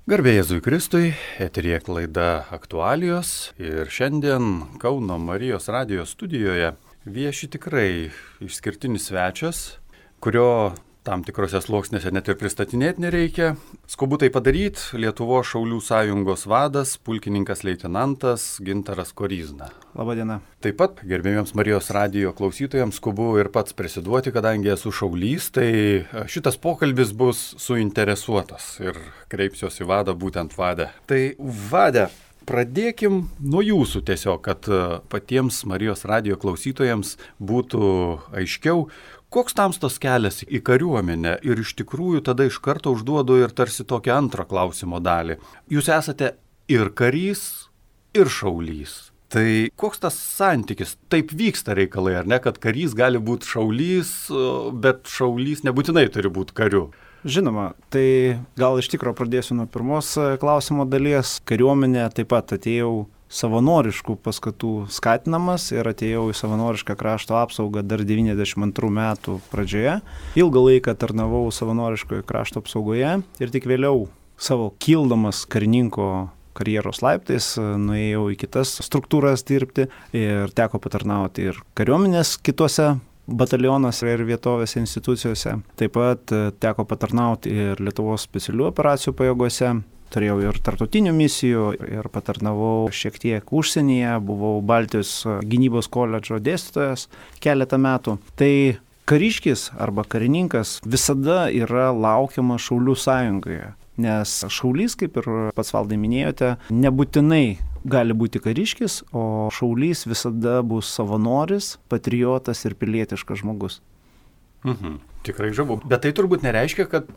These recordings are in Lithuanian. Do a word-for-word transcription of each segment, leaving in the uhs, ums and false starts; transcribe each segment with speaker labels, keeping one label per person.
Speaker 1: Garbė Jėzui Kristui, eteryje laida Aktualijos ir šiandien Kauno Marijos radijo studijoje vieši tikrai išskirtinis svečias, kurio tam tikrose sluoksnėse net ir pristatinėti nereikia. Skubu tai padaryti Lietuvos Šaulių sąjungos vadas, pulkininkas leitenantas Gintaras Koryzna.
Speaker 2: Labadiena.
Speaker 1: Taip pat gerbėmiems Marijos radijo klausytojams skubu ir pats prisiduoti, kadangi esu šaulys, tai šitas pokalbis bus suinteresuotas ir kreipsiuosi į vadą, būtent vadę. Tai vade, pradėkim nuo jūsų tiesiog, kad patiems Marijos radijo klausytojams būtų aiškiau, koks tamstos kelias į kariuomenę, ir iš tikrųjų tada iš karto užduodu ir tarsi tokią antrą klausimo dalį. Jūs esate ir karys, ir šaulys. Tai koks tas santykis? Taip vyksta reikalai, ar ne, kad karys gali būti šaulys, bet šaulys nebūtinai turi būti kariu?
Speaker 2: Žinoma, tai gal iš tikro pradėsiu nuo pirmos klausimo dalies. Kariuomenė taip pat atėjau savanoriškų paskatų skatinamas ir atėjau į savanorišką krašto apsaugą dar devyniasdešimt antrų metų pradžioje. Ilgą laiką tarnavau savanoriškoje krašto apsaugoje ir tik vėliau savo kildamas karininko karjeros laiptais nuėjau į kitas struktūras dirbti ir teko patarnauti ir kariuomenės kitose batalionuose ir vietovėse institucijose. Taip pat teko patarnauti ir Lietuvos specialių operacijų pajėgose. Turėjau ir tarptautinių misijų ir patarnavau šiek tiek užsienyje, buvau Baltijos gynybos koledžo dėstytojas keletą metų. Tai kariškis arba karininkas visada yra laukiama Šaulių sąjungoje, nes šaulys, kaip ir pats valdai minėjote, nebūtinai gali būti kariškis, o šaulys visada bus savanoris, patriotas ir pilietiškas žmogus.
Speaker 1: Mhm. Tikrai žavu. Bet tai turbūt nereiškia, kad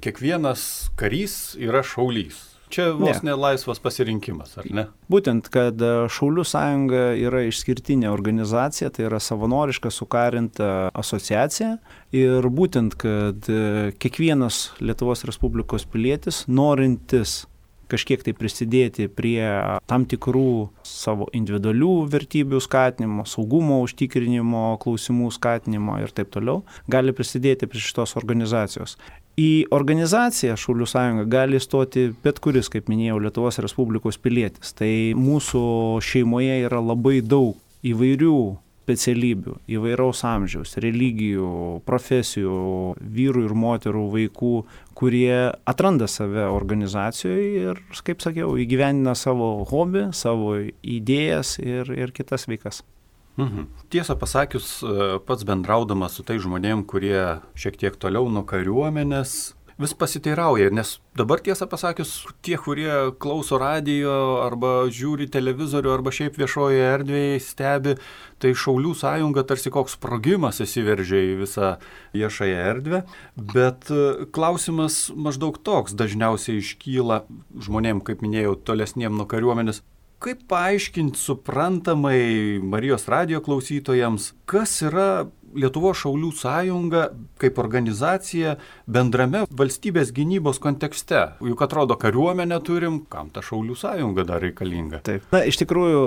Speaker 1: kiekvienas karys yra šaulys. Čia vos ne, ne laisvas pasirinkimas, ar ne?
Speaker 2: Būtent, kad Šaulių sąjunga yra išskirtinė organizacija, tai yra savanoriška sukarinta asociacija. Ir būtent, kad kiekvienas Lietuvos Respublikos pilietis, norintis kažkiek tai prisidėti prie tam tikrų savo individualių vertybių skatinimo, saugumo užtikrinimo, klausimų skatinimo ir taip toliau, gali prisidėti prie šitos organizacijos. Į organizaciją Šaulių sąjungą gali stoti bet kuris, kaip minėjau, Lietuvos Respublikos pilietis. Tai mūsų šeimoje yra labai daug įvairių specialybių, įvairaus amžiaus, religijų, profesijų, vyrų ir moterų, vaikų, kurie atranda save organizacijoje ir, kaip sakiau, įgyvendina savo hobį, savo idėjas ir, ir kitas veikas.
Speaker 1: Mhm. Tiesą pasakius, pats bendraudamas su tai žmonėm, kurie šiek tiek toliau nuo kariuomenės, vis pasiteirauja, nes dabar tiesą pasakius, tie, kurie klauso radijo arba žiūri televizorių arba šiaip viešoje erdvėje stebi, tai Šaulių sąjunga tarsi koks sprogimas įsiveržia į visą viešąją erdvę, bet klausimas maždaug toks dažniausiai iškyla žmonėm, kaip minėjau, tolesniem nuo kariuomenės. Kaip paaiškinti suprantamai Marijos radijo klausytojams, kas yra Lietuvos Šaulių sąjunga kaip organizacija bendrame valstybės gynybos kontekste? Juk atrodo, kariuomenę turim, kam ta Šaulių sąjunga dar reikalinga?
Speaker 2: Taip. Na, iš tikrųjų,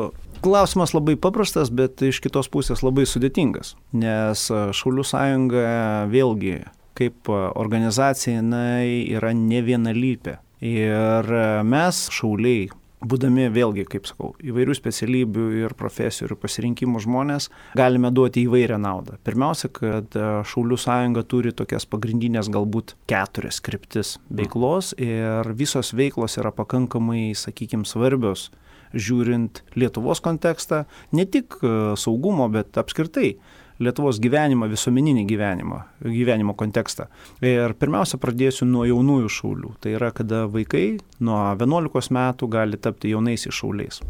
Speaker 2: klausimas labai paprastas, bet iš kitos pusės labai sudėtingas, nes Šaulių sąjunga vėlgi kaip organizacija jinai yra ne vienalypė. Ir mes, šauliai, būdami vėlgi, kaip sakau, įvairių specialybių ir profesijų ir pasirinkimų žmonės, galime duoti įvairią naudą. Pirmiausia, kad Šaulių sąjunga turi tokias pagrindinės galbūt keturias kryptis veiklos ir visos veiklos yra pakankamai, sakykime, svarbios, žiūrint Lietuvos kontekstą, ne tik saugumo, bet apskritai Lietuvos gyvenimą, visuomeninį gyvenimą, gyvenimo kontekstą. Ir pirmiausia, pradėsiu nuo jaunųjų šaulių. Tai yra, kada vaikai nuo vienuolikos metų gali tapti jaunaisiais šauliais.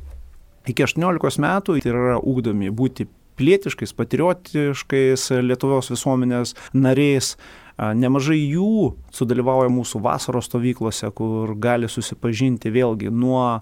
Speaker 2: Iki aštuoniolikos metų tai yra ugdomi būti pilietiškais, patriotiškais Lietuvos visuomenės nariais. Nemažai jų sudalyvauja mūsų vasaros stovyklose, kur gali susipažinti vėlgi nuo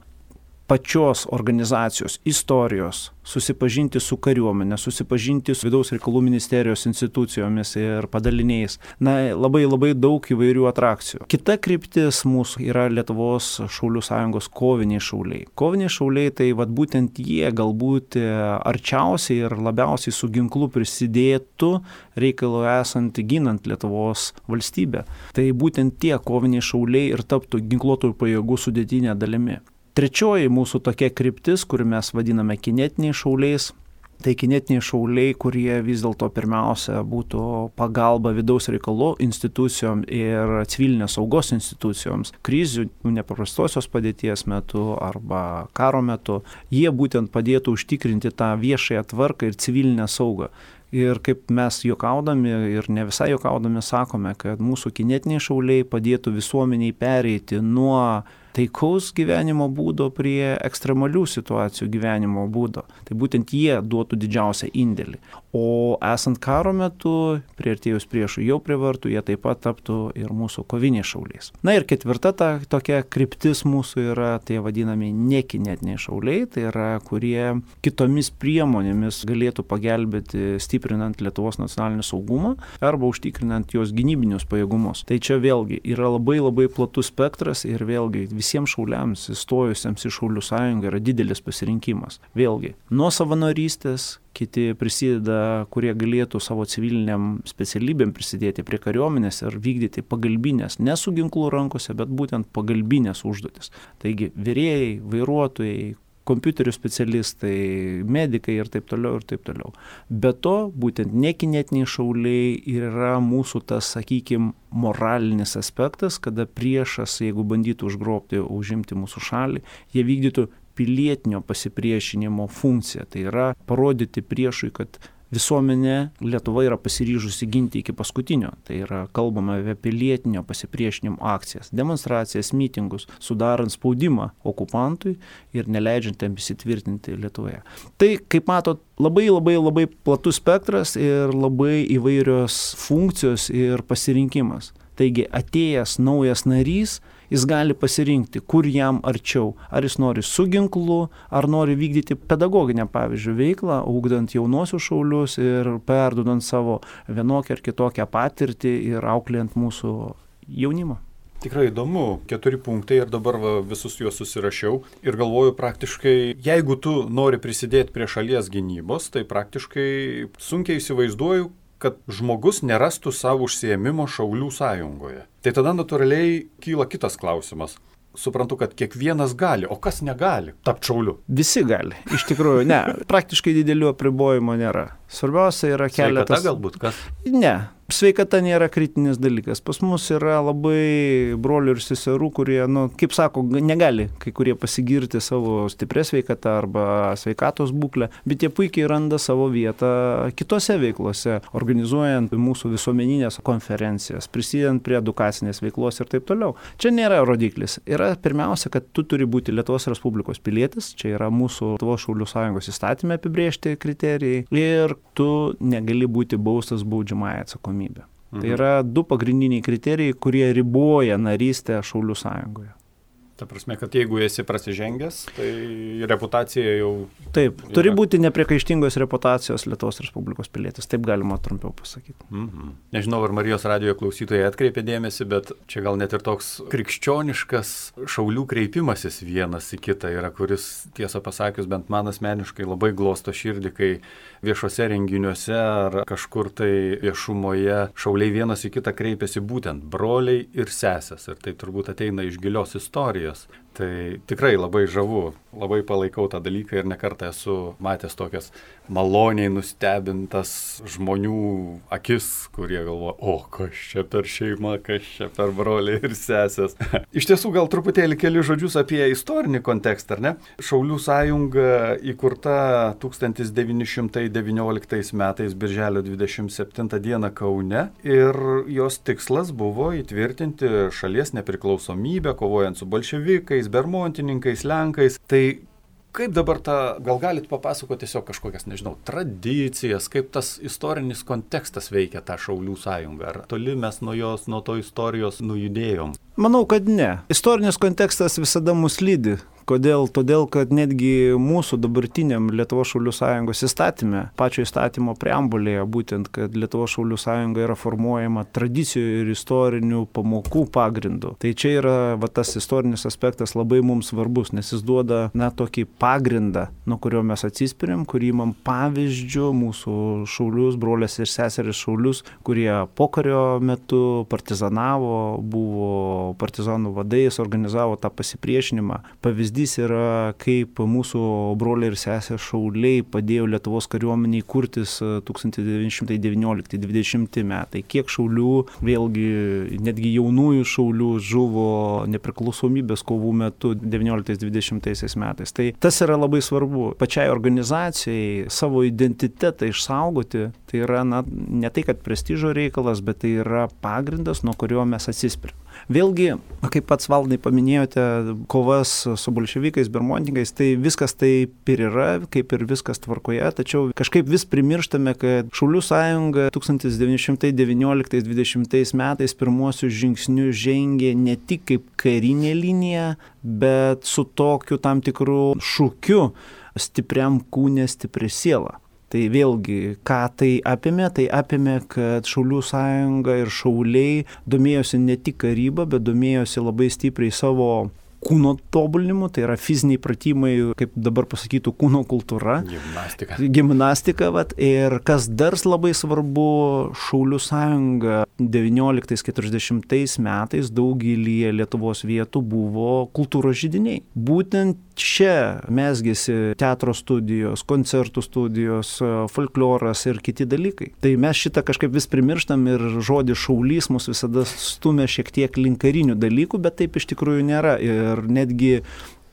Speaker 2: pačios organizacijos istorijos, susipažinti su kariuomenė, susipažinti su vidaus reikalų ministerijos institucijomis ir padaliniais. Na, labai labai daug įvairių atrakcijų. Kita kryptis mūsų yra Lietuvos Šaulių sąjungos koviniai šauliai. Koviniai šauliai tai vat būtent jie galbūt arčiausiai ir labiausiai su ginklu prisidėtų reikalo esant ginant Lietuvos valstybę. Tai būtent tie koviniai šauliai ir taptų ginkluotųjų pajėgų sudėtinė dalimi. Trečioji mūsų tokia kryptis, kurį mes vadiname kinetiniais šauliais, tai kinetiniai šauliai, kurie vis dėlto pirmiausia būtų pagalba vidaus reikalų institucijom ir civilinės saugos institucijoms, krizių, nepaprastosios padėties metu arba karo metu, jie būtent padėtų užtikrinti tą viešąją tvarką ir civilinę saugą. Ir kaip mes juokaudami ir ne visai juokaudami sakome, kad mūsų kinetiniai šauliai padėtų visuomeniai pereiti nuo taikaus gyvenimo būdo prie ekstremalių situacijų gyvenimo būdo. Tai būtent jie duotų didžiausią indėlį. O esant karo metu, priartėjus priešų jau prie vartų, jie taip pat taptų ir mūsų koviniais šauliais. Na ir ketvirta ta tokia kryptis mūsų yra tie vadinami nekinetiniai šauliai, tai yra kurie kitomis priemonėmis galėtų pagelbėti stiprinant Lietuvos nacionalinį saugumą arba užtikrinant jos gynybinius pajėgumus. Tai čia vėlgi yra labai labai platus spektras ir vėlgi visiems šauliams įstojusiems į Šaulių sąjungą yra didelis pasirinkimas. Vėlgi, nuo savanorystės, kiti prisideda, kurie galėtų savo civiliniam specialybėm prisidėti prie kariuomenės ir vykdyti pagalbinės, ne su ginklu rankose, bet būtent pagalbinės užduotis. Taigi, virėjai, vairuotojai, kompiuterių specialistai, medikai ir taip toliau ir taip toliau. Be to, būtent nekinetiniai šauliai yra mūsų tas, sakykime, moralinis aspektas, kada priešas, jeigu bandytų užgrobti, užimti mūsų šalį, jie vykdytų pilietinio pasipriešinimo funkciją. Tai yra parodyti priešui, kad visuomenė Lietuva yra pasiryžusi ginti iki paskutinio. Tai yra kalbama apie pilietinio pasipriešinimo akcijas, demonstracijas, mitingus, sudarant spaudimą okupantui ir neleidžiant jam įsitvirtinti Lietuvoje. Tai, kaip matot, labai labai labai platus spektras ir labai įvairios funkcijos ir pasirinkimas. Taigi atėjęs naujas narys, jis gali pasirinkti, kur jam arčiau. Ar jis nori su ginklu, ar nori vykdyti pedagoginę, pavyzdžiui, veiklą, ugdant jaunuosius šaulius ir perduodant savo vienokią ar kitokią patirtį ir auklėjant mūsų jaunimą.
Speaker 1: Tikrai įdomu, keturi punktai ir dabar va, visus juos susirašiau ir galvoju praktiškai, jeigu tu nori prisidėti prie šalies gynybos, tai praktiškai sunkiai įsivaizduoju, kad žmogus nerastų savo užsiėmimo Šaulių sąjungoje. Tai tada natūraliai kyla kitas klausimas. Suprantu, kad kiekvienas gali, o kas negali tapti šauliu?
Speaker 2: Visi gali. Iš tikrųjų, ne. Praktiškai didelių apribojimų nėra. Svarbiausia yra keletas...
Speaker 1: Sveikata galbūt kas?
Speaker 2: Ne. Sveikata nėra kritinis dalykas. Pas mus yra labai brolių ir seserų, kurie, nu, kaip sako, negali kai kurie pasigirti savo stiprią sveikatą arba sveikatos būklę, bet jie puikiai randa savo vietą kitose veiklose, organizuojant mūsų visuomeninės konferencijas, prisidedant prie edukacinės veiklos ir taip toliau. Čia nėra rodiklis. Yra pirmiausia, kad tu turi būti Lietuvos Respublikos pilietis, čia yra mūsų Lietuvos Šaulių sąjungos įstatyme apibrėžti kriterijai ir tu negali būti baustas baudžiamąja atsakomybė. Mhm. Tai yra du pagrindiniai kriterijai, kurie riboja narystę Šaulių sąjungoje.
Speaker 1: Ta prasme, kad jeigu esi prasižengęs, tai reputacija jau...
Speaker 2: Taip, yra. Turi būti nepriekaištingos reputacijos Lietuvos Respublikos pilietis, taip galima trumpiau pasakyti.
Speaker 1: Mhm. Nežinau, ar Marijos radijo klausytojai atkreipė dėmesį, bet čia gal net ir toks krikščioniškas šaulių kreipimasis vienas į kitą yra, kuris, tiesą pasakius, bent man asmeniškai labai glosto širdį, kai viešuose renginiuose ar kažkur tai viešumoje šauliai vienas į kitą kreipiasi būtent broliai ir sesės. Ir tai turbūt ateina iš gilios istorijos. Tai tikrai labai žavu, labai palaikau tą dalyką ir nekartą esu matęs tokias maloniai nustebintas žmonių akis, kurie galvoja, o kas čia per šeima, kas čia per broliai ir sesės. Iš tiesų gal truputėlį keli žodžius apie istorinį kontekstą, ar ne? Šaulių sąjunga įkurta tūkstantis devyni šimtai devynioliktais metais birželio dvidešimt septintą dieną Kaune ir jos tikslas buvo įtvirtinti šalies nepriklausomybę, kovojant su bolševikais, bermontininkais, lenkais. Tai kaip dabar tą, gal galit papasakoti tiesiog kažkokias, nežinau, tradicijas, kaip tas istorinis kontekstas veikia tą Šaulių sąjungą? Ar toli mes nuo jos, nuo to istorijos nujudėjom?
Speaker 2: Manau, kad ne. Istorinis kontekstas visada mus lydi. Kodėl? Todėl, kad netgi mūsų dabartiniam Lietuvos Šaulių Sąjungos įstatyme, pačio įstatymo preambulėje, būtent, kad Lietuvos Šaulių Sąjunga yra formuojama tradicijų ir istorinių pamokų pagrindu. Tai čia yra va, tas istorinis aspektas labai mums svarbus, nes jis duoda na, tokį pagrindą, nuo kurio mes atsispiriam, kurį imam pavyzdžių mūsų šaulius, brolės ir seseris šaulius, kurie pokario metu partizanavo, buvo partizanų vadais, organizavo tą pasipriešinimą. Pavyzdys yra, kaip mūsų broliai ir sesės šauliai padėjo Lietuvos kariuomeniai kurtis tūkstantis devyni šimtai devyniolikti dvidešimti metai. Kiek šaulių, vėlgi netgi jaunųjų šaulių žuvo nepriklausomybės kovų metu devynioliktais dvidešimtaisiais metais. Tai tas yra labai svarbu. Pačiai organizacijai savo identitetą išsaugoti, tai yra na, ne tai, kad prestižo reikalas, bet tai yra pagrindas, nuo kurio mes atsispiriam. Vėlgi, kaip pats Valdai paminėjote, kovas su bolševikais, bermontininkais, tai viskas taip ir yra, kaip ir viskas tvarkoje, tačiau kažkaip vis primirštame, kad Šaulių sąjunga tūkstantis devyni šimtai devynioliktais dvidešimtais metais pirmuosius žingsnius žengė ne tik kaip karinė linija, bet su tokiu tam tikru šūkiu stipriam kūne, stipri siela. Tai vėlgi, ką tai apėmė? Tai apėmė, kad Šaulių sąjunga ir šauliai domėjosi ne tik karybą, bet domėjosi labai stipriai savo kūno tobulinimu, tai yra fiziniai pratimai, kaip dabar pasakytų, kūno kultūra.
Speaker 1: Gimnastika.
Speaker 2: Gimnastika, vat. Ir kas dar labai svarbu, Šaulių sąjunga devynioliktais keturiasdešimtais metais daugelį Lietuvos vietų buvo kultūros židiniai. Būtent čia mesgėsi teatro studijos, koncertų studijos, folkloras ir kiti dalykai. Tai mes šitą kažkaip vis primirštam ir žodis šaulys mus visada stumia šiek tiek link karinių dalykų, bet taip iš tikrųjų nėra. Ir netgi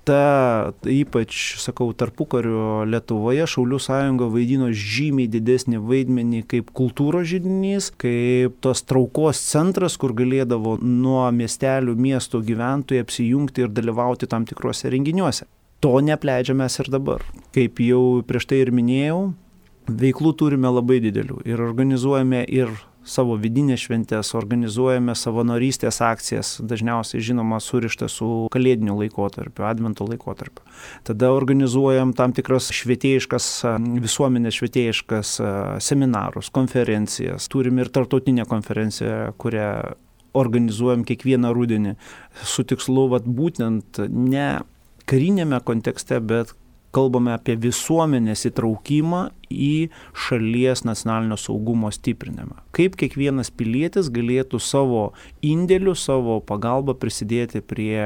Speaker 2: ta, ypač, sakau, tarpukario Lietuvoje Šaulių sąjunga vaidino žymiai didesnį vaidmenį kaip kultūros židinys, kaip tos traukos centras, kur galėdavo nuo miestelių, miesto gyventojai apsijungti ir dalyvauti tam tikrose renginiuose. To neapleidžiam mes ir dabar. Kaip jau prieš tai ir minėjau, veiklų turime labai didelių ir organizuojame ir savo vidinės šventės, organizuojame savanorystės akcijas, dažniausiai žinoma surišta su kalėdiniu laikotarpiu, advento laikotarpiu. Tada organizuojam tam tikras švietėjiškas, visuomenės švietėjiškas seminarus, konferencijas. Turim ir tarptautinę konferenciją, kurią organizuojam kiekvieną rudenį su tikslu, vat, būtent ne karinėme kontekste, bet kalbame apie visuomenės įtraukimą į šalies nacionalinio saugumo stiprinimą. Kaip kiekvienas pilietis galėtų savo indėliu, savo pagalbą prisidėti prie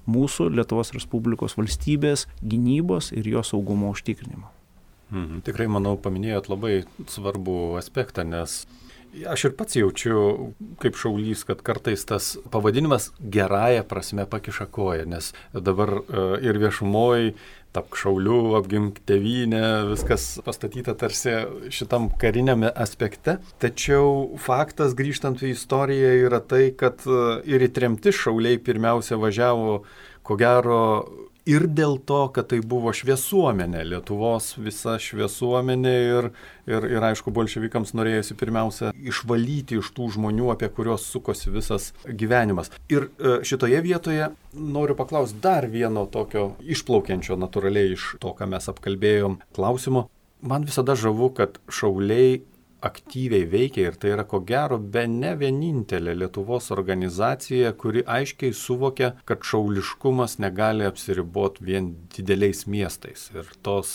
Speaker 2: mūsų Lietuvos Respublikos valstybės gynybos ir jo saugumo užtikrinimo.
Speaker 1: Mhm, tikrai, manau, paminėjot labai svarbų aspektą, nes aš ir pats jaučiu kaip šaulys, kad kartais tas pavadinimas gerąja prasme pakiša koją, nes dabar ir viešumoj tapk šauliu, apgink tėvynę, viskas pastatyta tarsi šitam kariniame aspekte. Tačiau faktas, grįžtant į istoriją, yra tai, kad ir į tremtis šauliai pirmiausia važiavo, ko gero, ir dėl to, kad tai buvo šviesuomenė, Lietuvos visa šviesuomenė ir, ir, ir aišku, bolševikams norėjosi pirmiausia išvalyti iš tų žmonių, apie kuriuos sukosi visas gyvenimas. Ir šitoje vietoje noriu paklausti dar vieno tokio išplaukiančio natūraliai iš to, ką mes apkalbėjom klausimo. Man visada žavu, kad šauliai aktyviai veikia ir tai yra ko gero be ne vienintelė Lietuvos organizacija, kuri aiškiai suvokia, kad šauliškumas negali apsiriboti vien dideliais miestais. Ir tos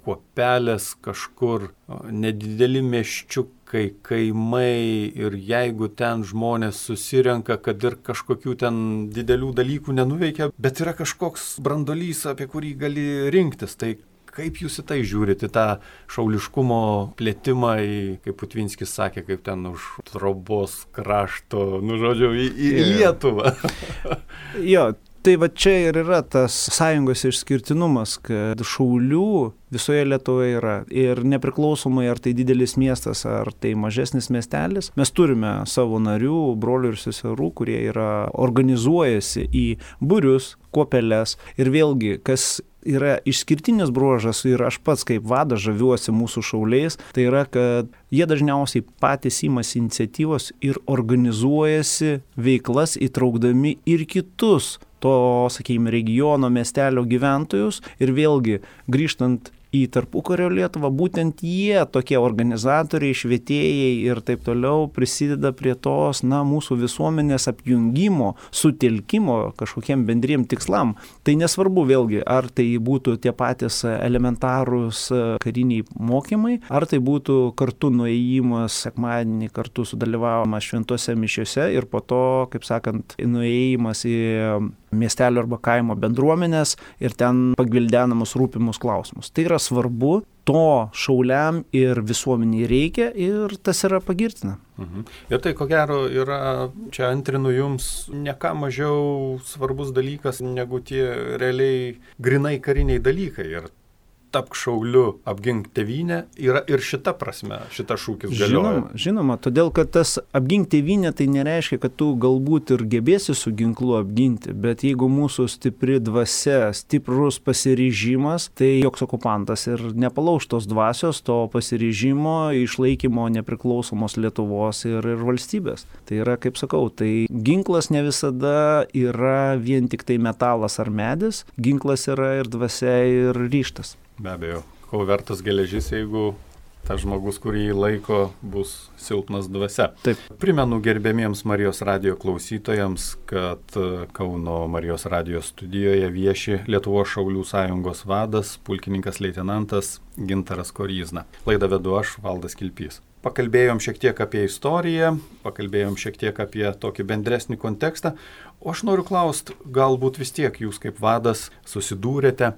Speaker 1: kuopelės kažkur, nedideli miesčiukai, kaimai ir jeigu ten žmonės susirenka, kad ir kažkokių ten didelių dalykų nenuveikia, bet yra kažkoks brandolys, apie kurį gali rinktis. Tai kaip jūs į tai žiūrite, tą šauliškumo plėtimą, į, kaip Putvinskis sakė, kaip ten už trobos krašto, nu žodžiu, į, į Lietuvą?
Speaker 2: Jo, tai va čia ir yra tas sąjungos išskirtinumas, kad šaulių visoje Lietuvoje yra ir nepriklausomai ar tai didelis miestas, ar tai mažesnis miestelis, mes turime savo narių, brolių ir seserų, kurie yra organizuojasi į būrius, kuopeles ir vėlgi, kas yra išskirtinis bruožas ir aš pats kaip vadas žaviuosi mūsų šauliais, tai yra, kad jie dažniausiai patys imasi iniciatyvos ir organizuojasi veiklas įtraukdami ir kitus to, sakykime, regiono miestelio gyventojus ir vėlgi grįžtant į tarpukario Lietuvą, būtent jie, tokie organizatoriai, švietėjai ir taip toliau prisideda prie tos, na, mūsų visuomenės apjungimo, sutelkimo kažkokiem bendriem tikslam. Tai nesvarbu vėlgi, ar tai būtų tie patys elementarūs kariniai mokymai, ar tai būtų kartu nuėjimas sekmadienį, kartu sudalyvavimas šventose mišiose ir po to, kaip sakant, nuėjimas į miestelio arba kaimo bendruomenės ir ten pagvildenamus rūpimus klausimus. Tai yra svarbu, to šauliam ir visuomeniai reikia ir tas yra pagirtina.
Speaker 1: Mhm. Ir tai, ko gero, yra, čia antrinu jums, ne ką mažiau svarbus dalykas negu tie realiai grinai kariniai dalykai. Ir tapk šauliu, apgink tėvynę, yra ir šita prasme, šita šūkis galioja.
Speaker 2: Žinoma, žinoma, todėl, kad tas apgink tėvynę tai nereiškia, kad tu galbūt ir gebėsi su ginklu apginti, bet jeigu mūsų stipri dvasia, stiprus pasiryžimas, tai joks okupantas ir nepalauš tos dvasios, to pasiryžimo, išlaikymo nepriklausomos Lietuvos ir, ir valstybės. Tai yra, kaip sakau, tai ginklas ne visada yra vien tik tai metalas ar medis, ginklas yra ir dvasia, ir ryžtas.
Speaker 1: Be abejo, ko vertas geležis, jeigu tas žmogus, kurį laiko, bus silpnas dvasia.
Speaker 2: Taip.
Speaker 1: Primenu gerbiamiems Marijos radijo klausytojams, kad Kauno Marijos radijo studijoje vieši Lietuvos šaulių sąjungos vadas, pulkininkas leitenantas Gintaras Koryzna. Laidą vedu aš, Valdas Kilpys. Pakalbėjom šiek tiek apie istoriją, pakalbėjom šiek tiek apie tokį bendresnį kontekstą, o aš noriu klausti, galbūt vis tiek jūs kaip vadas susidūrėte,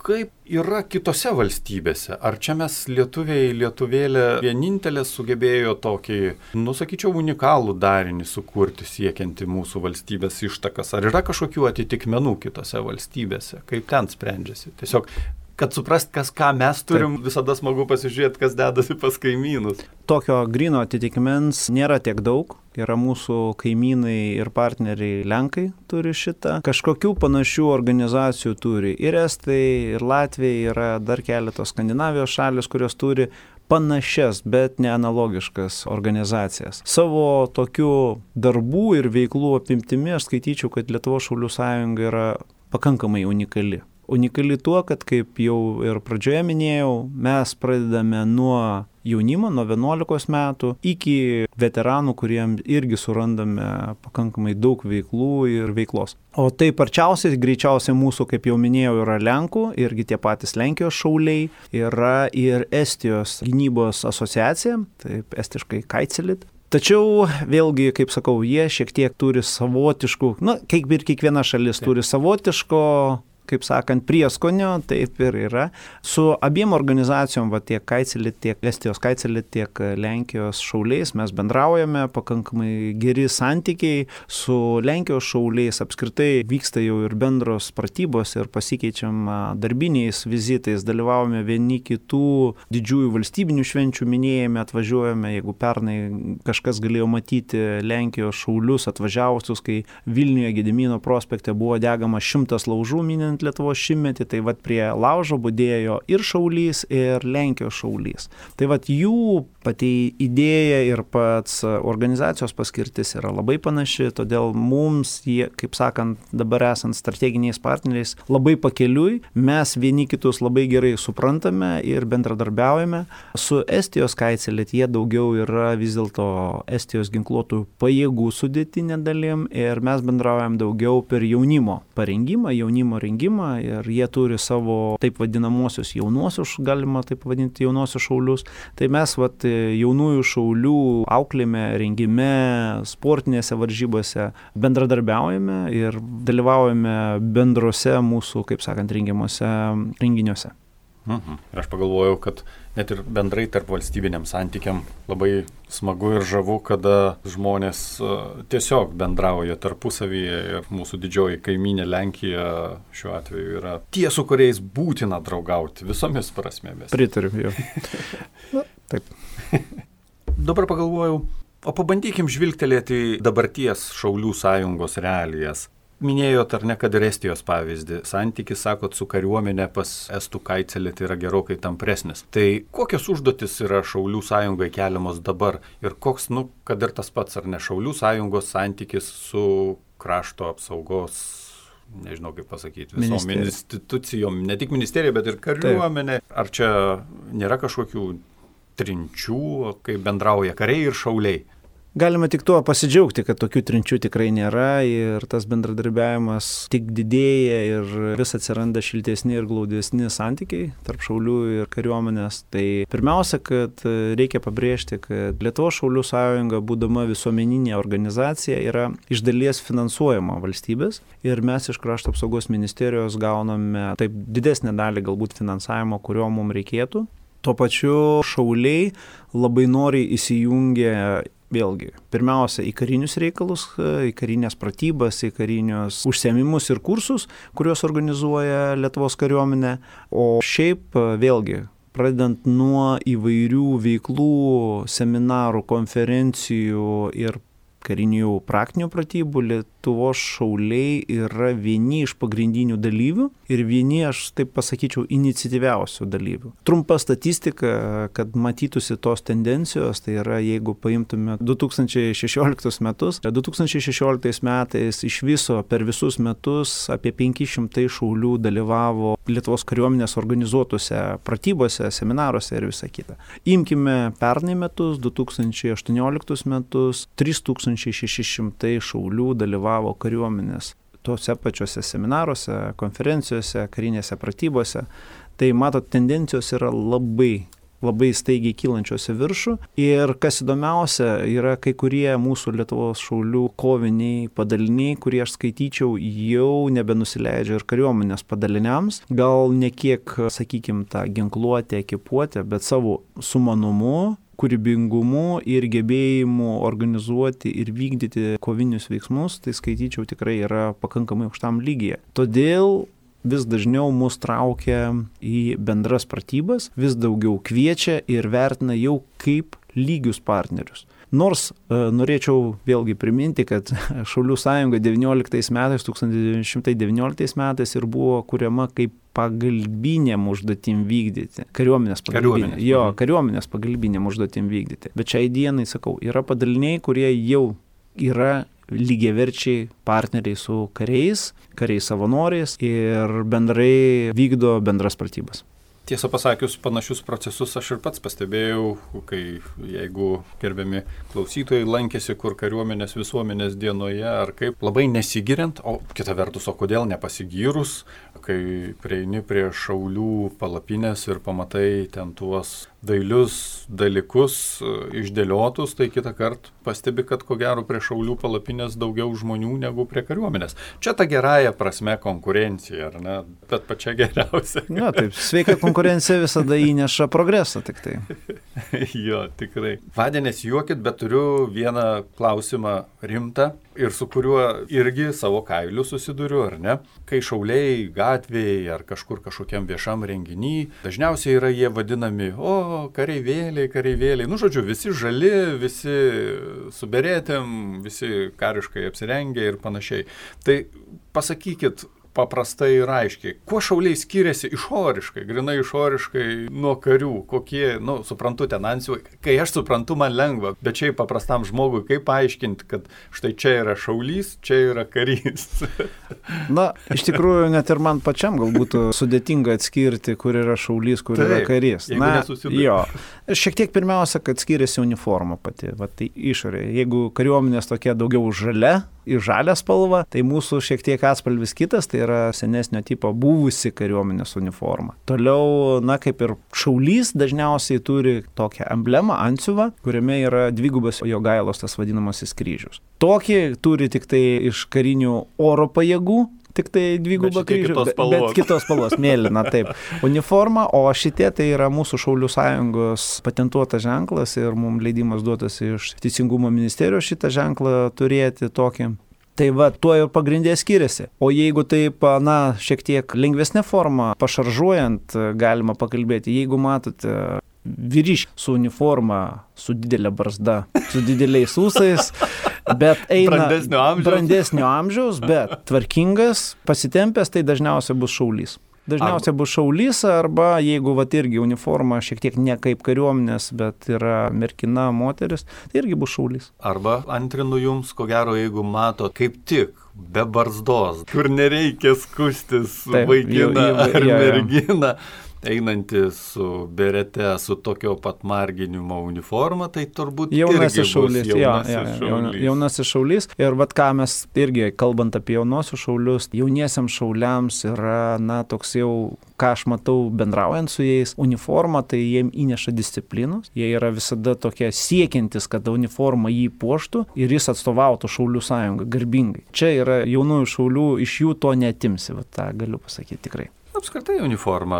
Speaker 1: kaip yra kitose valstybėse? Ar čia mes lietuviai, lietuvėlė vienintelė sugebėjo tokį, nu sakyčiau, unikalų darinį sukurti siekianti mūsų valstybės ištakas? Ar yra kažkokių atitikmenų kitose valstybėse? Kaip ten sprendžiasi? Tiesiog, kad suprast, kas ką mes turim, taip, visada smagu pasižiūrėti, kas dedasi pas kaimynus.
Speaker 2: Tokio gryno atitikmens nėra tiek daug. Yra mūsų kaimynai ir partneriai Lenkai turi šitą. Kažkokių panašių organizacijų turi ir Estai, ir Latvija, yra dar keletos Skandinavijos šalis, kurios turi panašias, bet ne analogiškas organizacijas. Savo tokių darbų ir veiklų apimtimi aš skaityčiau, kad Lietuvos šaulių sąjunga yra pakankamai unikali. Unikali tuo, kad, kaip jau ir pradžioje minėjau, mes pradedame nuo jaunimo, nuo vienuolikos metų, iki veteranų, kuriems irgi surandame pakankamai daug veiklų ir veiklos. O tai parčiausiai, greičiausiai mūsų, kaip jau minėjau, yra Lenkų, irgi tie patys Lenkijos šauliai, yra ir Estijos gynybos asociacija, taip estiškai Kaitselit. Tačiau vėlgi, kaip sakau, jie šiek tiek turi savotiškų, na, kaip ir kiekviena šalis taip, turi savotiško, kaip sakant, prieskonio, taip ir yra. Su abiem organizacijom, va, tiek Kaitselit, tiek Estijos Kaitselit, tiek Lenkijos šauliais mes bendraujame, pakankamai geri santykiai. Su Lenkijos šauliais apskritai vyksta jau ir bendros pratybos ir pasikeičiam darbiniais vizitais, dalyvaujame vieni kitų didžiųjų valstybinių švenčių minėjime, atvažiuojame, jeigu pernai kažkas galėjo matyti Lenkijos šaulius atvažiavusius, kai Vilniuje Gedimino prospekte buvo degama šimtas laužų minint Lietuvos šimtmetį, tai vat prie laužo budėjo ir šaulys, ir Lenkijos šaulys. Tai vat jų pati idėja ir pats organizacijos paskirtis yra labai panaši, todėl mums, jie, kaip sakant, dabar esant strateginiais partneriais, labai pakeliui, mes vieni kitus labai gerai suprantame ir bendradarbiaujame. Su Estijos Kaitselit jie daugiau yra vis dėlto Estijos ginkluotų pajėgų sudėtinė dalim ir mes bendraujam daugiau per jaunimo parengimą, jaunimo rengimą ir jie turi savo taip vadinamosius jaunuosius, galima taip vadinti jaunuosius šaulius. Tai mes vat, jaunųjų šaulių auklėme, rengime, sportinėse varžybose bendradarbiaujame ir dalyvaujame bendrose mūsų, kaip sakant, rengiamuose renginiuose.
Speaker 1: Mhm. Ir aš pagalvojau, kad net ir bendrai tarp valstybiniam santykiam labai smagu ir žavu, kada žmonės tiesiog bendrauja tarpusavyje ir mūsų didžioji kaimynė Lenkija šiuo atveju yra tie, su kuriais būtina draugauti visomis prasmėmis.
Speaker 2: Pritariu, jau. Na, taip.
Speaker 1: Dabar pagalvojau, o pabandykim žvilgtelėti dabarties šaulių sąjungos realijas. Minėjot ar ne, kad ir Estijos pavyzdį. Santykis, sakot, su kariuomenė pas estų kaicelį tai yra gerokai tampresnis. Tai kokios užduotis yra Šaulių sąjungai keliamos dabar ir koks, nu, kad ir tas pats, ar ne, Šaulių sąjungos santykis su krašto apsaugos, nežinau kaip pasakyti, visom
Speaker 2: Ministerija.
Speaker 1: institucijom, ne tik ministerija, bet ir kariuomenė. Taip. Ar čia nėra kažkokių trinčių, kai bendrauja kariai ir šauliai?
Speaker 2: Galima tik tuo pasidžiaugti, kad tokių trinčių tikrai nėra ir tas bendradarbiavimas tik didėja ir vis atsiranda šiltesni ir glaudesni santykiai tarp šaulių ir kariuomenės. Tai pirmiausia, kad reikia pabrėžti, kad Lietuvos Šaulių sąjunga, būdama visuomeninė organizacija, yra iš dalies finansuojama valstybės ir mes iš Krašto apsaugos ministerijos gauname taip didesnę dalį galbūt finansavimo, kurio mums reikėtų. Tuo pačiu šauliai labai noriai įsijungia vėlgi, pirmiausia, į karinius reikalus, į karinės pratybas, į karinius užsiėmimus ir kursus, kuriuos organizuoja Lietuvos kariuomenė. O šiaip, vėlgi, pradedant nuo įvairių veiklų, seminarų, konferencijų ir karinių praktinių pratybų, Lietuvos šauliai yra vieni iš pagrindinių dalyvių ir vieni, aš taip pasakyčiau, iniciatyviausių dalyvių. Trumpa statistika, kad matytųsi tos tendencijos, tai yra, jeigu paimtume du tūkstančiai šešioliktus metus, du tūkstančiai šešioliktais metais iš viso per visus metus apie penki šimtai šaulių dalyvavo Lietuvos kariuomenės organizuotose pratybose, seminaruose ir visa kita. Imkime pernai metus, du tūkstančiai aštuonioliktus metus, trys tūkstančiai šeši šimtai šaulių dalyvavo kariuomenės tuose pačiuose seminaruose, konferencijose, karinėse pratybose. Tai matot, tendencijos yra labai, labai staigiai kylančios į viršų. Ir kas įdomiausia, yra kai kurie mūsų Lietuvos šaulių koviniai padaliniai, kurie aš skaityčiau, jau nebenusileidžia ir kariuomenės padaliniams. Gal ne kiek, sakykime, tą ginkluotę, ekipuotę, bet savo sumanumu, kūrybingumu ir gebėjimu organizuoti ir vykdyti kovinius veiksmus, tai skaityčiau tikrai yra pakankamai aukštam lygyje. Todėl vis dažniau mus traukia į bendras pratybas, vis daugiau kviečia ir vertina jau kaip lygius partnerius. Nors e, norėčiau vėlgi priminti, kad Šaulių sąjunga devynioliktais metais, tūkstantis devyni šimtai devynioliktais metais ir buvo kuriama kaip pagalbinėm užduotim vykdyti. Kariuomenės pagalbinėm. Jo, kariuomenės pagalbinėm užduotim vykdyti. Bet šiai dienai, sakau, yra padaliniai, kurie jau yra lygiaverčiai partneriai su kariais, kariais savanoriais ir bendrai vykdo bendras pratybas.
Speaker 1: Tiesą pasakius, panašius procesus aš ir pats pastebėjau, kai jeigu gerbiami klausytojai lankėsi kur kariuomenės visuomenės dienoje ar kaip, labai nesigiriant, o kita vertus, o kodėl nepasigyrus, kai prieini prie šaulių palapinės ir pamatai ten tuos dailius dalykus išdėliotus, tai kitą kartą pastebi, kad ko gero prie šaulių palapinės daugiau žmonių negu prie kariuomenės. Čia ta gerąja prasme konkurencija, ar ne? Bet pačia geriausia.
Speaker 2: Na, taip, sveika konkurencija visada įneša progresą tik tai.
Speaker 1: Jo, tikrai. Vadė, nesijuokit, bet turiu vieną klausimą rimtą ir su kuriuo irgi savo kailiu susiduriu, ar ne? Kai šauliai gatvėje ar kažkur kažkokiam viešam renginy, dažniausiai yra jie vadinami, o, kareivėliai, kareivėliai. Nu, žodžiu, visi žali, visi su beretėm, visi kariškai apsirengę ir panašiai. Tai pasakykit paprastai ir aiškiai, kuo šauliai skiriasi išoriškai, grinai išoriškai nuo karių, kokie, nu, suprantu, ten ansių, kai aš suprantu, man lengva, bet čia paprastam žmogui, kaip paaiškinti, kad štai čia yra šaulys, čia yra karys.
Speaker 2: Na, iš tikrųjų, net ir man pačiam gal būtų sudėtinga atskirti, kur yra šaulys, kur Taip, yra karys. Na, jo. Šiek tiek pirmiausia, kad skiriasi uniforma pati, va, tai išorė. Jeigu kariuomenės tokia daugiau žalia, į žalią spalvą, tai mūsų šiek tiek atspalvis kitas, tai yra senesnio tipo buvusi kariuomenės uniforma. Toliau, na, kaip ir šaulys dažniausiai turi tokią emblemą, antsiuvą, kuriame yra dvigubas Jogailos tas vadinamasis kryžius. Tokį turi tik tai iš karinių oro pajėgų, tik tai dvigubą kryžių,
Speaker 1: kitos
Speaker 2: bet, bet kitos spalvos, mėlyna, taip, uniforma, o šitie tai yra mūsų Šaulių sąjungos patentuotas ženklas ir mums leidimas duotas iš Teisingumo ministerijos šitą ženklą turėti tokį. Tai va, tuo ir pagrindė skiriasi. O jeigu taip, na, šiek tiek lengvesnė forma, pašaržuojant, galima pakalbėti, jeigu matote vyriškis su uniforma, su didelė barzda, su dideliais ūsais, bet eina
Speaker 1: brandesnio amžiaus,
Speaker 2: brandesnio amžiaus bet tvarkingas, pasitempęs, tai dažniausiai bus šaulys. Dažniausiai bus šaulys arba jeigu vat irgi uniforma šiek tiek ne kaip kariuomenės, bet yra mergina, moteris, tai irgi bus šaulys.
Speaker 1: Arba antrinu jums, ko gero, jeigu mato kaip tik be barzdos, kur nereikia skustis
Speaker 2: Taip,
Speaker 1: vaikiną
Speaker 2: jau- jau-
Speaker 1: ar
Speaker 2: jo, jo.
Speaker 1: merginą, einantį su berete, su tokio pat marginimo uniforma, tai turbūt
Speaker 2: Jaunasis
Speaker 1: irgi bus
Speaker 2: šaulys, jo,
Speaker 1: jaunasis
Speaker 2: jo, jo,
Speaker 1: šaulys.
Speaker 2: jaunasis šaulys. Ir vat ką mes irgi, kalbant apie jaunosius šaulius, jauniesiams šauliams yra, na, toks jau, ką aš matau bendraujant su jais, uniforma tai jiem įneša disciplinos, jie yra visada tokie siekiantis, kad uniforma jį puoštų ir jis atstovautų Šaulių sąjungą garbingai. Čia yra jaunųjų šaulių, iš jų to neatimsi, vat tą galiu pasakyti tikrai.
Speaker 1: Apskritai uniforma,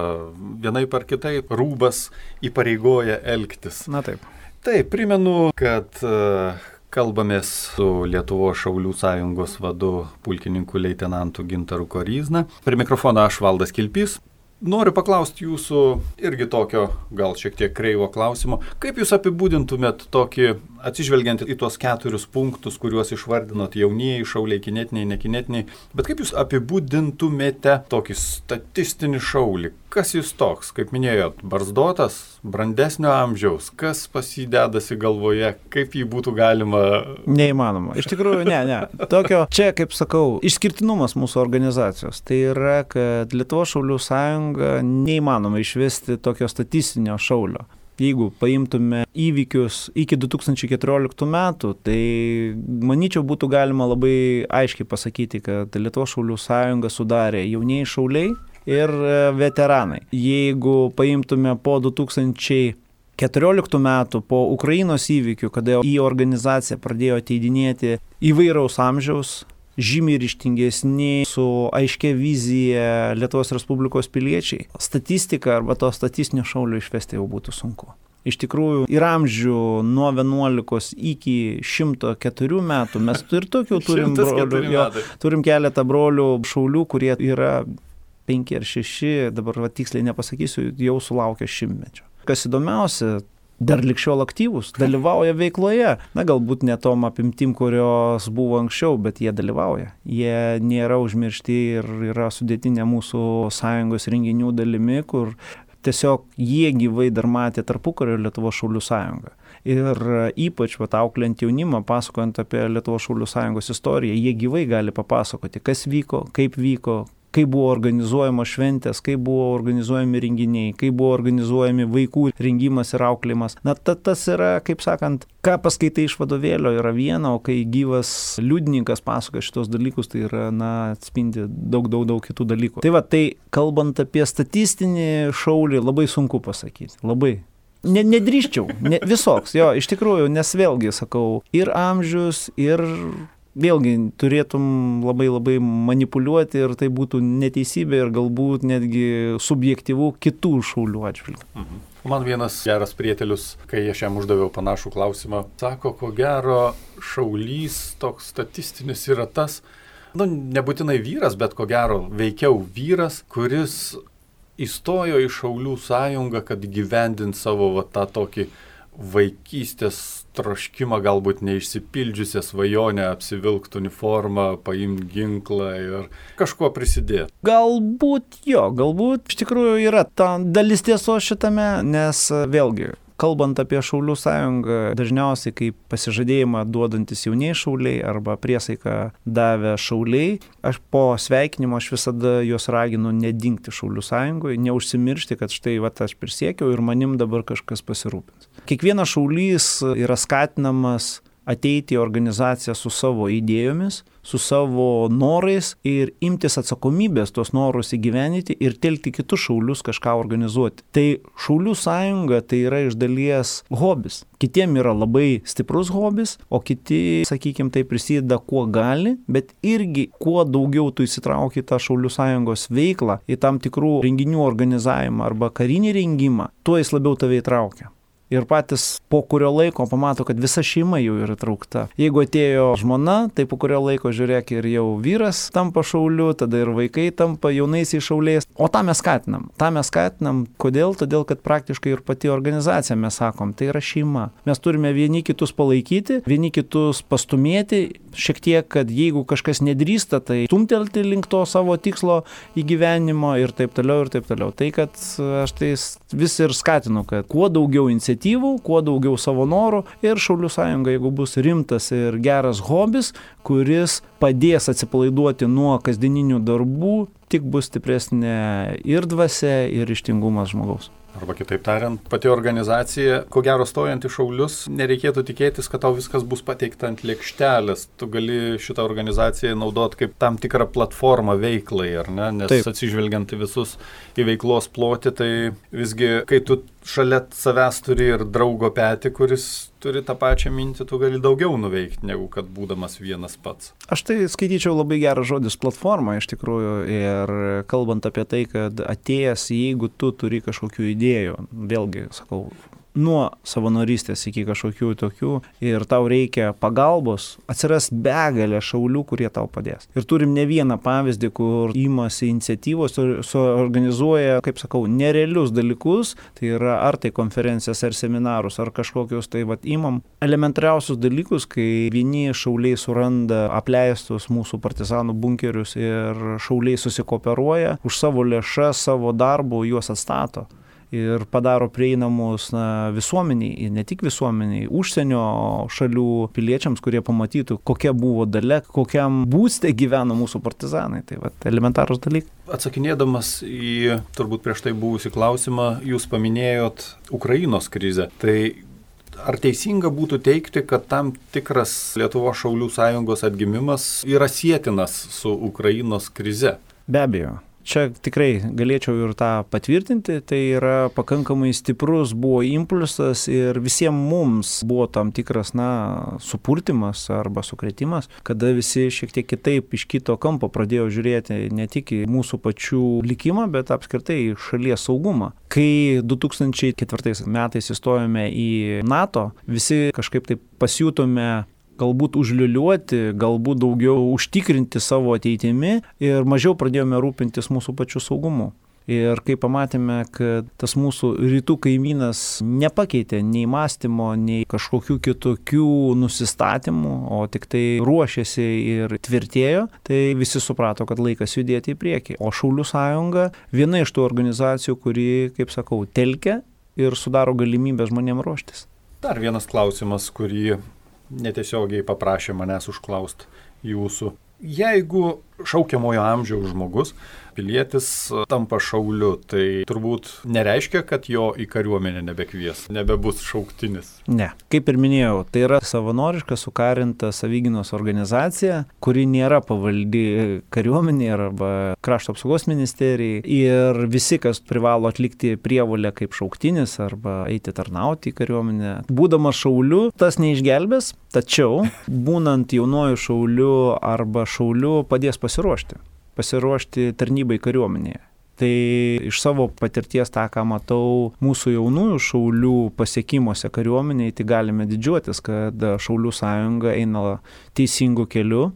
Speaker 1: vienaip ar kitaip, rūbas įpareigoja elgtis.
Speaker 2: Na taip.
Speaker 1: Taip, primenu, kad uh, kalbamės su Lietuvos Šaulių sąjungos vadu pulkininku leitenantu Gintaru Koryzna. Prie mikrofono aš Valdas Kilpys. Noriu paklausti jūsų irgi tokio, gal šiek tiek kreivo klausimo. Kaip jūs apibūdintumėt tokį, atsižvelgiant į tuos keturis punktus, kuriuos išvardinot, jaunieji, šauliai, kinetiniai, nekinetiniai, bet kaip jūs apibūdintumėte tokį statistinį šaulį? Kas jis toks? Kaip minėjot, barzdotas, brandesnio amžiaus, kas pas jį dedasi galvoje, kaip jį būtų galima...
Speaker 2: Neįmanoma. Iš tikrųjų, ne, ne. Tokio, čia, kaip sakau, išskirtinumas mūsų organizacijos. Tai yra, kad Lietuvos Šaulių sąjunga neįmanoma išvesti tokio statistinio šaulio. Jeigu paimtume įvykius iki du tūkstančiai keturioliktų metų, tai manyčiau būtų galima labai aiškiai pasakyti, kad Lietuvos Šaulių sąjunga sudarė jaunieji šauliai ir veteranai. Jeigu paimtume po du tūkstančiai keturioliktų metų, po Ukrainos įvykių, kada į organizaciją pradėjo ateidinėti įvairaus amžiaus, žymiai ryžtingesni, su aiškia vizija Lietuvos Respublikos piliečiai, statistika arba to statistinio šaulio išvesti jau būtų sunku. Iš tikrųjų, ir amžių nuo vienuolikos iki šimto keturių metų mes ir tokių turim brolių, jo, turim keletą brolių šaulių, kurie yra penki ar šeši, dabar va, tiksliai nepasakysiu, jau sulaukia šimtmečio. Kas įdomiausia, dar likščiol aktyvus, dalyvauja veikloje. Na, galbūt ne tom apimtim, kurios buvo anksčiau, bet jie dalyvauja. Jie nėra užmiršti ir yra sudėtinė mūsų sąjungos renginių dalimi, kur tiesiog jie gyvai dar matė tarpukario Lietuvos Šaulių sąjungą. Ir ypač vat, auklint jaunimą, pasakojant apie Lietuvos Šaulių sąjungos istoriją, jie gyvai gali papasakoti, kas vyko, kaip vyko, kaip buvo organizuojamos šventės, kaip buvo organizuojami renginiai, kaip buvo organizuojami vaikų rengimas ir auklėjimas. Na, ta, tas yra, kaip sakant, ką paskaitai iš vadovėlio yra viena, o kai gyvas liudininkas pasakoja šitos dalykus, tai yra, na, atspindi daug, daug, daug kitų dalykų. Tai va, tai kalbant apie statistinį šaulį, labai sunku pasakyti. Labai. Ne, nedrįščiau, ne, visoks, jo, iš tikrųjų, nes vėlgi, sakau, ir amžius, ir... Vėlgi turėtum labai labai manipuliuoti ir tai būtų neteisybė ir galbūt netgi subjektyvų kitų šaulių atžvilgių.
Speaker 1: Mhm. Man vienas geras prietelius, kai aš jam uždaviau panašų klausimą, sako, ko gero šaulys toks statistinis yra tas, nu, nebūtinai vyras, bet ko gero veikiau vyras, kuris įstojo į Šaulių sąjungą, kad gyvendint savo va, tą tokį vaikystės troškimą, galbūt neišsipildžiusią svajonę apsivilkti uniformą, paimti ginklą ir kažkuo prisidėti.
Speaker 2: Galbūt jo, galbūt iš tikrųjų yra ta dalis tiesos šitame, nes vėlgi, kalbant apie Šaulių sąjungą, dažniausiai kaip pasižadėjimą duodantis jaunieji šauliai arba priesaiką davę šauliai, aš po sveikinimo aš visada juos raginu nedingti Šaulių sąjungoje, neužsimiršti, kad štai va, aš prisiekiau ir manim dabar kažkas pasirūpins. Kiekvienas šaulys yra skatinamas ateiti į organizaciją su savo idėjomis, su savo norais ir imtis atsakomybės tuos norus įgyvenyti ir telkti kitus šaulius kažką organizuoti. Tai Šaulių sąjunga tai yra iš dalies hobis. Kitiem yra labai stiprus hobis, o kiti, sakykime, tai prisideda kuo gali, bet irgi kuo daugiau tu įsitrauki tą Šaulių sąjungos veiklą, į tam tikrų renginių organizavimą arba karinį rengimą, tuo jis labiau tave įtraukia. ir patys po kurio laiko pamato, kad visa šeima jau yra traukta. Jeigu atėjo žmona, tai po kurio laiko žiūrėk ir jau vyras tampa šauliu, tada ir vaikai tampa jaunaisiais šauliais. O tą mes skatinam. tą mes skatinam. Kodėl? Todėl, kad praktiškai ir pati organizacija mes sakom, tai yra šeima. Mes turime vieni kitus palaikyti, vieni kitus pastumėti, šiek tiek, kad jeigu kažkas nedrįsta, tai stumtelti link to savo tikslo įgyvenimo ir taip toliau ir taip toliau. Tai, kad aš tai vis ir skatinu, kad kuo daugiau iniciatyvų, kuo daugiau savo norų ir Šaulių sąjunga, jeigu bus rimtas ir geras hobis, kuris padės atsipalaiduoti nuo kasdieninių darbų, tik bus stipresnė ir dvasia, ir ryžtingumas žmogaus.
Speaker 1: Arba kitaip tariant, pati organizacija, ko gero stojant į Šaulius, nereikėtų tikėtis, kad tau viskas bus pateikta ant lėkštelės. Tu gali šitą organizaciją naudoti kaip tam tikrą platformą veiklai, ar ne? Nes Taip. Atsižvelgiant į visus į veiklos plotį, tai visgi, kai tu šalia savęs turi ir draugo petį, kuris turi tą pačią mintį, tu gali daugiau nuveikti, negu kad būdamas vienas pats.
Speaker 2: Aš tai skaityčiau labai geras žodis platforma iš tikrųjų ir kalbant apie tai, kad atėjęs, jeigu tu turi kažkokių idėjų, vėlgi, sakau, nuo savanorystės iki kažkokių tokių ir tau reikia pagalbos, atsiras begalė šaulių, kurie tau padės. Ir turim ne vieną pavyzdį, kur imasi iniciatyvos, suorganizuoja, kaip sakau, nerealius dalykus, tai yra ar tai konferencijas, ar seminarus, ar kažkokius, tai vat imam elementariausius dalykus, kai vieni šauliai suranda apleistus mūsų partizanų bunkerius ir šauliai susikooperuoja, už savo lėšas, savo darbų juos atstato. Ir padaro prieinamus na, visuomeniai, ir ne tik visuomeniai, užsienio šalių piliečiams, kurie pamatytų, kokia buvo dalia, kokiam būste gyveno mūsų partizanai. Tai va, elementarūs dalykai.
Speaker 1: Atsakinėdamas į turbūt prieš tai buvusį klausimą, jūs paminėjot Ukrainos krizę. Tai ar teisinga būtų teigti, kad tam tikras Lietuvos Šaulių sąjungos atgimimas yra sietinas su Ukrainos krize?
Speaker 2: Be abejo. Čia tikrai galėčiau ir tą patvirtinti, tai yra pakankamai stiprus buvo impulsas ir visiems mums buvo tam tikras, na, supurtimas arba sukrėtimas, kada visi šiek tiek kitaip iš kito kampo pradėjo žiūrėti ne tik į mūsų pačių likimą, bet apskritai šalies saugumą. Kai du tūkstančiai ketvirtais metais įstojome į NATO, visi kažkaip taip pasijutome galbūt užliuliuoti, galbūt daugiau užtikrinti savo ateitimi ir mažiau pradėjome rūpintis mūsų pačių saugumu. Ir kai pamatėme, kad tas mūsų rytų kaimynas nepakeitė nei mąstymo, nei kažkokių kitokių nusistatymų, o tik tai ruošėsi ir tvirtėjo, tai visi suprato, kad laikas judėti į priekį. O Šaulių sąjunga viena iš tų organizacijų, kuri, kaip sakau, telkia ir sudaro galimybę žmonėms ruoštis.
Speaker 1: Dar vienas klausimas, kurį netiesiogiai paprašė manęs užklausti jūsų. Jeigu šaukiamojo amžiaus žmogus, pilietis tampa šauliu, tai turbūt nereiškia, kad jo į kariuomenę nebekvies, nebebus šauktinis.
Speaker 2: Ne. Kaip ir minėjau, tai yra savanoriška sukarinta savigynos organizacija, kuri nėra pavaldi kariuomenė arba krašto apsaugos ministerijai ir visi, kas privalo atlikti prievolę kaip šauktinis arba eiti tarnauti į kariuomenę. Būdamas šauliu, tas neišgelbės, tačiau būnant jaunuoju šauliu arba šauliu padės pasiruošti. pasiruošti tarnybai kariuomenėje. Tai iš savo patirties tą, ką matau mūsų jaunųjų šaulių pasiekimuose kariuomenėje, tai galime didžiuotis, kad Šaulių sąjunga eina teisingų kelių.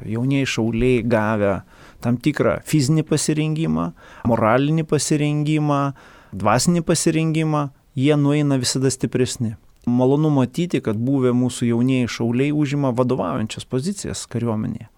Speaker 2: Jaunieji šauliai gavę tam tikrą fizinį pasirengimą, moralinį pasirengimą, dvasinį pasirengimą, jie nueina visada stipresni. Malonu matyti, kad buvę mūsų jaunieji šauliai užima vadovaujančias pozicijas kariuomenėje.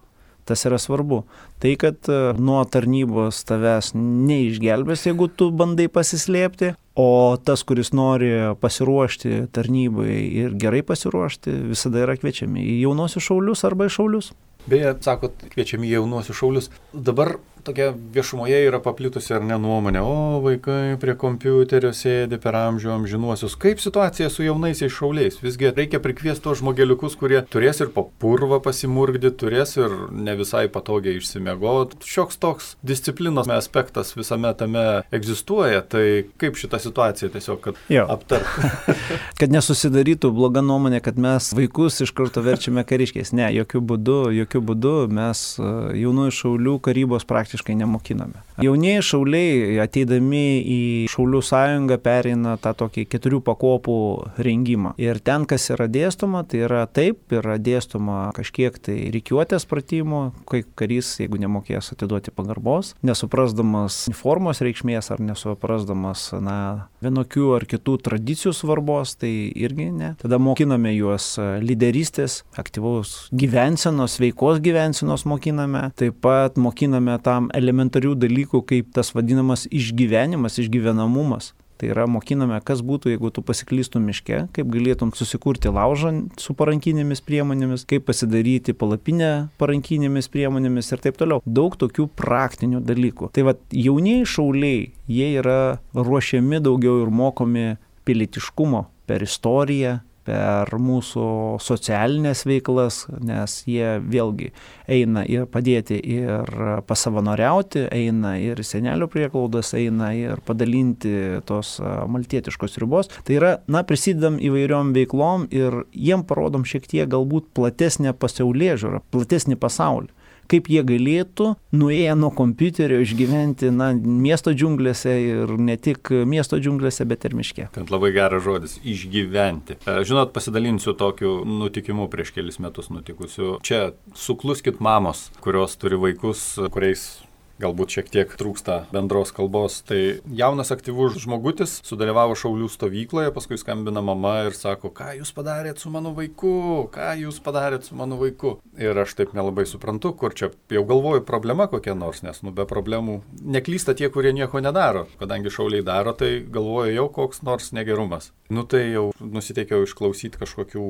Speaker 2: Tas yra svarbu. Tai, kad nuo tarnybos tavęs neišgelbės, jeigu tu bandai pasislėpti, o tas, kuris nori pasiruošti tarnybai ir gerai pasiruošti, visada yra kviečiami į jaunosius šaulius arba į šaulius.
Speaker 1: Beje, sakot, kviečiami į jaunosius šaulius. Dabar tokia viešumoje yra paplitusi ar ne nuomonė, o vaikai prie kompiuterio sėdi per amžių amžinuosius. Kaip situacija su jaunaisiais šauliais? Visgi reikia prikviesti tos žmogeliukus, kurie turės ir po purvą pasimurgdyti, turės ir ne visai patogiai išsimiegoti. Šioks toks disciplinos aspektas visame tame egzistuoja, tai kaip šitą situaciją tiesiog, kad aptart.
Speaker 2: Kad nesusidarytų bloga nuomonė, kad mes vaikus iš karto verčiame kariškiais. Ne, jokių būdų, jokių būdų mes jaunųjų šaulių karybos praktiškai praktiškai nemokiname. Jaunieji šauliai ateidami į Šaulių sąjungą pereina tą tokį keturių pakopų rengimą. Ir ten, kas yra dėstoma, tai yra taip, yra dėstoma kažkiek tai rikiuotės pratimų, kai karys, jeigu nemokės atiduoti pagarbos, nesuprasdamas uniformos reikšmės ar nesuprasdamas, na, vienokių ar kitų tradicijų svarbos, tai irgi ne. Tada mokiname juos lyderystės, aktyvaus gyvensenos, sveikos gyvensenos mokiname, taip pat mokiname tam elementarių dalykų, kaip tas vadinamas išgyvenimas, išgyvenamumas. Tai yra mokiname, kas būtų, jeigu tu pasiklystum miške, kaip galėtum susikurti laužą su parankinėmis priemonėmis, kaip pasidaryti palapinę parankinėmis priemonėmis ir taip toliau. Daug tokių praktinių dalykų. Tai va, jaunieji šauliai, jie yra ruošiami daugiau ir mokomi pilietiškumo per istoriją, per mūsų socialinės veiklas, nes jie vėlgi eina ir padėti ir pasavanoriauti, eina ir senelių prieglaudas, eina ir padalinti tos maltietiškos ribos. Tai yra, na, prisidedam įvairiom veiklom ir jiem parodom šiek tiek galbūt platesnę pasaulėžiūrą, platesnį pasaulį. Kaip jie galėtų, nuėję nuo kompiuterio, išgyventi, na, miesto džiunglėse ir ne tik miesto džiunglėse, bet ir miške.
Speaker 1: Tai labai geras žodis – išgyventi. Žinot, pasidalinsiu tokiu nutikimu prieš kelis metus nutikusiu. Čia sukluskit mamos, kurios turi vaikus, kuriais galbūt šiek tiek trūksta bendros kalbos. Tai jaunas aktyvus žmogutis sudalyvavo šaulių stovykloje, paskui skambina mama ir sako, ką jūs padarėt su mano vaiku, ką jūs padarėt su mano vaiku. Ir aš taip nelabai suprantu, kur čia jau galvoju problema kokia nors, nes nu be problemų neklysta tie, kurie nieko nedaro. Kadangi šauliai daro, tai galvoju jau koks nors negerumas. Nu tai jau nusiteikiau išklausyti kažkokių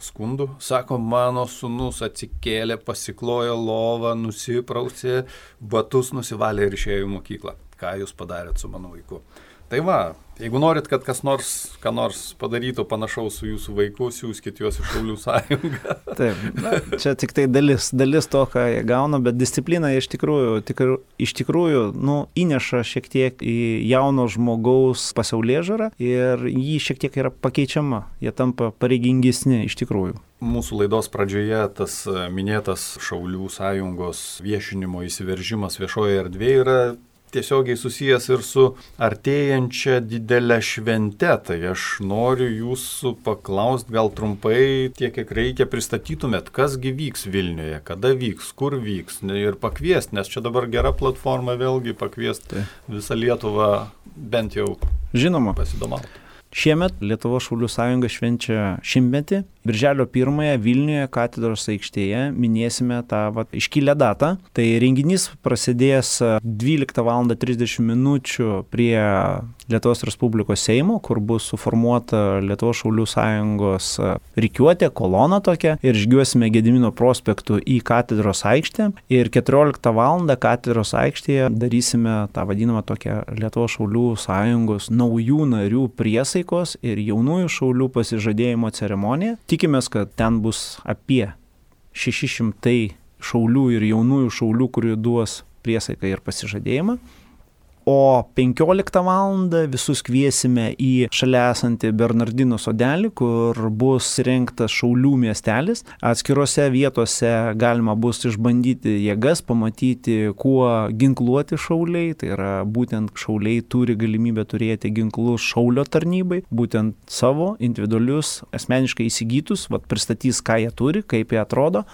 Speaker 1: skundų. Sako, mano sūnus atsikėlė, pasiklojo lovą, nusiprausė, batus nusivalė ir išėjo į mokyklą. Ką jūs padarėt su mano vaiku? Tai va, jeigu norit, kad kas nors, ką nors padarytų panašaus su jūsų vaiku, siųskit juos į Šaulių sąjungą.
Speaker 2: Taip, na, čia tik tai dalis, dalis to, ką jie gauna, bet disciplina iš tikrųjų, tikr, iš tikrųjų nu, įneša šiek tiek į jauno žmogaus pasaulėžiūrą ir jį šiek tiek yra pakeičiama, jie tampa pareigingesni iš tikrųjų.
Speaker 1: Mūsų laidos pradžioje tas minėtas Šaulių sąjungos viešinimo įsiveržimas viešoje erdvėje yra tiesiogiai susijęs ir su artėjančia didelė švente. Tai aš noriu jūsų paklausti, gal trumpai tiek, kiek reikia pristatytumėt, kasgi vyks Vilniuje, kada vyks, kur vyks ir pakviesti, nes čia dabar gera platforma vėlgi pakviesti visą Lietuvą bent jau
Speaker 2: Žinoma.
Speaker 1: Pasidomauti.
Speaker 2: Šiemet Lietuvos Šaulių sąjunga švenčia šimtmetį. Birželio pirmąją Vilniuje katedros aikštėje minėsime tą vat, iškilę datą. Tai renginys prasidės dvyliktą valandą trisdešimt minučių prie Lietuvos Respublikos Seimo, kur bus suformuota Lietuvos Šaulių sąjungos rikiuotė, kolona tokia, ir žygiuosime Gedimino prospektu į katedros aikštę. Ir keturioliktą valandą katedros aikštėje darysime tą vadinamą tokią Lietuvos Šaulių sąjungos naujų narių priesaikos ir jaunųjų šaulių pasižadėjimo ceremoniją. Tikimės, kad ten bus apie šeši šimtai šaulių ir jaunųjų šaulių, kurie duos priesaiką ir pasižadėjimą. O penkioliktą valandą visus kviesime į šalia esantį Bernardinų sodelį, kur bus įrengtas šaulių miestelis. Atskirose vietose galima bus išbandyti jėgas, pamatyti, kuo ginkluoti šauliai. Tai yra būtent šauliai turi galimybę turėti ginklus šaulio tarnybai, būtent savo individualius, asmeniškai įsigytus, vat pristatys, ką jie turi, kaip jie atrodo.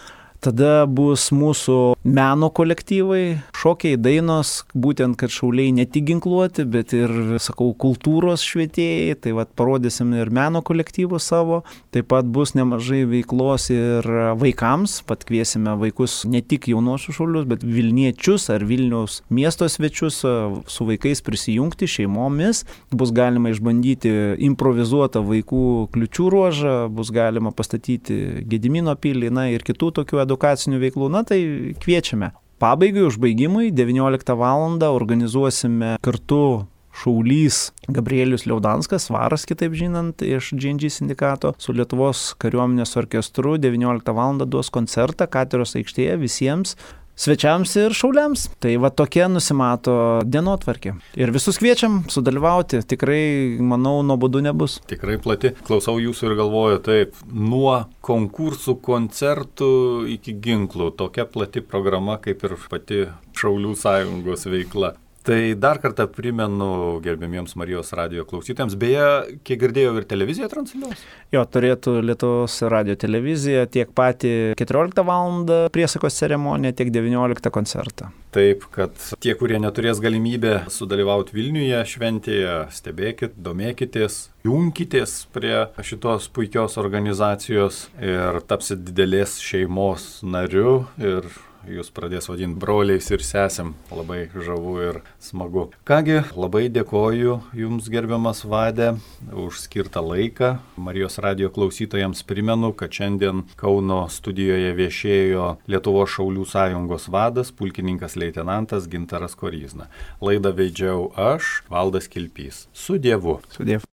Speaker 2: Tada bus mūsų meno kolektyvai, šokiai, dainos, būtent, kad šauliai ne tik ginkluoti, bet ir, sakau, kultūros švietėjai, tai vat parodysim ir meno kolektyvų savo. Taip pat bus nemažai veiklos ir vaikams, pat kviesime vaikus ne tik jaunuosius šaulius, bet Vilniečius ar Vilniaus miesto svečius su vaikais prisijungti šeimomis. Bus galima išbandyti improvizuotą vaikų kliučių ruožą, bus galima pastatyti Gedimino pilį, na ir kitų tokių edukacinių veiklų, na tai kviečiame. Pabaigai, užbaigimui, devynioliktą valandą organizuosime kartu šaulys Gabrielius Liaudanskas, varas kitaip žinant, iš G N G sindikato, su Lietuvos kariuomenės orkestru devynioliktą valandą duos koncertą katedros aikštėje visiems svečiams ir šauliams. Tai va tokia nusimato dienotvarkė. Ir visus kviečiam sudalyvauti. Tikrai, manau, nuobodu nebus.
Speaker 1: Tikrai plati. Klausau jūsų ir galvoju, taip, nuo konkursų, koncertų iki ginklų. Tokia plati programa kaip ir pati Šaulių sąjungos veikla. Tai dar kartą primenu gerbėmiems Marijos radijo klausytėms. Beje, kiek girdėjau, ir televizija transliuos?
Speaker 2: Jo, turėtų Lietuvos radijo televizija tiek patį keturioliktą valandą priesakos ceremoniją, tiek devynioliktą koncertą.
Speaker 1: Taip, kad tie, kurie neturės galimybę sudalyvauti Vilniuje šventėje, stebėkit, domėkitės, junkitės prie šitos puikios organizacijos ir tapsit didelės šeimos nariu ir jūs pradės vadinti broliais ir sesėm. Labai žavu ir smagu. Kągi, labai dėkoju Jums, gerbiamas Vade, už skirtą laiką. Marijos radijo klausytojams primenu, kad šiandien Kauno studijoje viešėjo Lietuvos Šaulių sąjungos vadas, pulkininkas leitenantas Gintaras Koryzna. Laidą veidžiau aš, Valdas Kilpys. Su Dievu.
Speaker 2: Su Dievu.